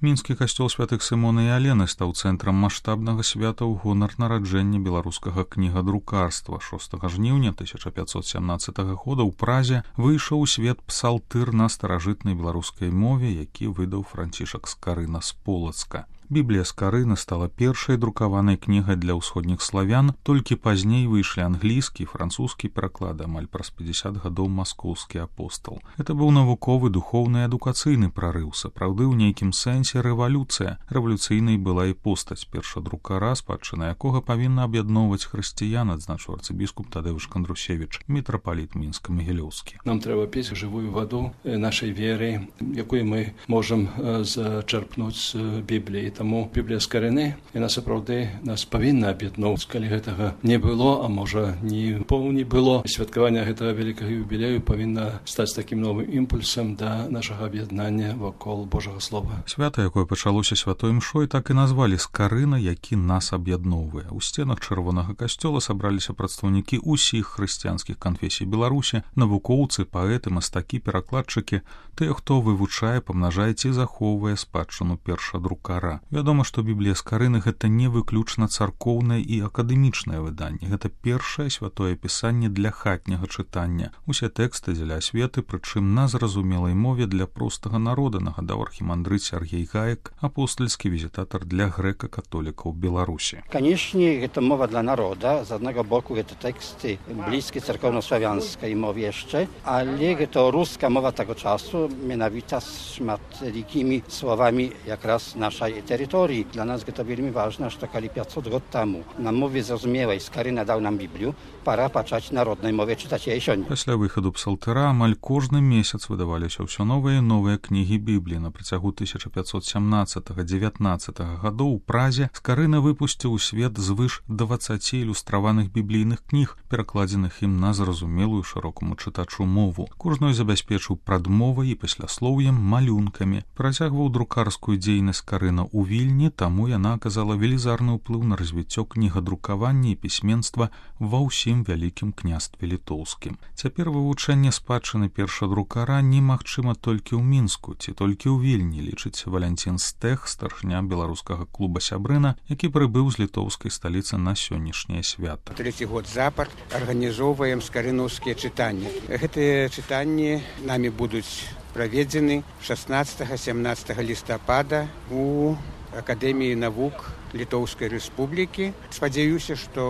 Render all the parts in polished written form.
Мінскі касцёл святых Сымона і Алены стаў цэнтрам маштабнага свята ў гонар нараджэння беларускага кнігадрукарства. 6 жніўня 1517 года ў Празе выйшаў у свет псалтыр на старажытнай беларускай мове, які выдаў Францішак Скарына з Полацка. Біблія Скарыны стала першай друкаванай кнігай для ўсходніх славян, толькі пазней выйшлі англійскі і французскі пераклады, амаль праз 50 гадоў маскоўскі апостал. Гэта быў навуковы, духоўны і адукацыйны прарыў, сапраўды ў нейкім сэнсе рэвалюцыя. Рэвалюцыйнай была і постаць першадрукара, спадчына якога павінна аб'ядноўваць хрысціян, адзначыў арцыбіскуп Тадэўш Кандрусевіч, мітрапаліт мінска-магілёўскі. Нам трэба піць жывую ваду нашай веры, якую мы можам зачерпнуць з Бібліі. Таму Біблія Скарыны, яна сапраўды нас павінна аб'ядноўваць. Калі гэтага не было, а можа не было, святкаванне гэтага вялікага юбілею павінна стаць такім новым імпульсам да нашага аб'яднання вакол Божага Слова. Свята, якое пачалося святой імшой, так і назвалі Скарына, які нас аб'ядноўвае. У сценах чырвонага касцёла сабраліся прадстаўнікі ўсіх хрысціянскіх канфесій Беларусі, навукоўцы, паэты, мастакі, перакладчыкі, тыя, хто вывучае, памнажае ці захоўвае спадчыну першадрукара. Вядома, што Біблія Скарыны гэта не выключна царкоўнае і акадэмічнае выданне. Гэта першае святое пісанне для хатняга чытання. Усе тэксты дзеля асветы, прычым на зразумелай мове для простага народа, нагадаў архімандрыт Сергей Гаек, апостольскі візітатар для грэка-католікаў Беларусі. Канешне, гэта мова для народа. З аднаго боку, гэта тэксты блізкі царкоўна-славянскай мове яшчэ, але гэта руска мова таго часу, менавіта з шматлікімі словамі якраз нашай terytorii. Dla nas to veľmi ważne, że kali 500 lat temu na mowie zrozumiałej Skaryna dał nam Biblię, pora patrzeć narodnej mowie, czytać jej сёння. Пасля выхаду псалтыра амаль кожны месяц выдаваліся ўсё новыя і новыя кнігі Бібліі. На працягу 1517-19 гадоў у Празе Скарына выпусціў у свет звыш 20 ілюстраваных біблійных кніг, перакладзеных ім на зразумелую шырокаму чытачу мову. Кожную забяспечыў прадмовай і пасляслоўем, малюнкамі. Працягваў друкарскую дзейнасць Скарына у Вільні, таму яна аказала велізарны ўплыў на развіццё кнігадрукавання і пісьменства ва ўсім вялікім княстве літоўскім. Цяпер вывучэнне спадчыны першадрукара немагчыма толькі ў Мінску ці толькі ў Вільні, лічыць Валянцін Стэх, старшыня беларускага клуба Сябрына, які прыбыў з літоўскай сталіцы на сённяшняе свята. 3 год запар арганізоўваем скарынаўскія чытанні. Гэтыя чытанні намі будуць праведзены 16-17 лістапада у Акадэміі навук Літоўскай Рэспублікі. Спадзяюся, што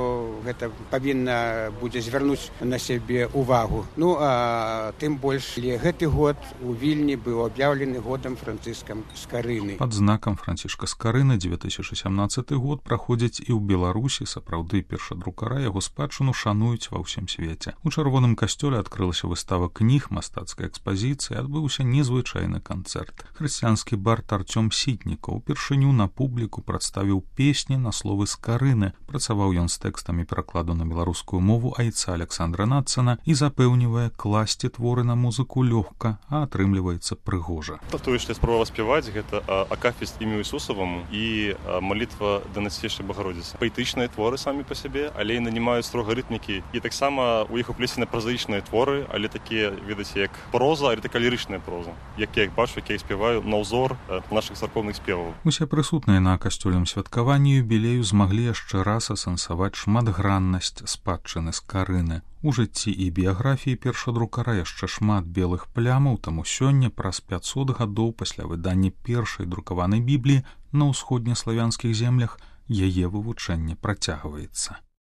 гэта павінна будзе звярнуць на сябе увагу. Ну, а тым больш, гэты год у Вільні быў аб'яўлены годам Францыска Скарыны. Пад знакам Францішка Скарыны 2017 год праходзіць і ў Беларусі. Сапраўды першадрукара яго спадчыну шануюць ва ўсім свеце. У чырвоным касцёле адкрылася выстава кніг, мастацкай экспазіцыі, адбыўся незвычайны канцэрт. Хрысціянскі бард Артём Сітнікаў упершыню на публіку прадставіў песні на словы Скарыны. Працаваў ён з тэкстамі перакладу на беларускую мову айца Александра Наццана і запэўнівае, класці творы на музыку лёгка, а атрымліваецца прыгожа. Тое, што я спрабаваў спяваць, гэта акафіст імю Ісусаваму і малітва да Найсвятейшай Багародзіцы. Паэтычныя творы самі па сабе, але яны не маюць строга рытмікі. І таксама у іх уплесены празаічныя творы, але такія, ведаце, як проза, але такая лірычная проза. Як я іх бачу, як я іх спяваю на ўзор нашых царкоўных спеваў. Усе прысутныя на касцёльным святкаванні юбілею змаглі яшчэ раз асэнсаваць шматграннасць спадчыны Скарыны. У жыцці і біяграфіі першадрукара яшчэ шмат белых плямаў, таму сёння, праз 500 гадоў пасля выдання першай друкаванай Бібліі на ўсходнеславянскіх землях, яе вывучэнне працягваецца.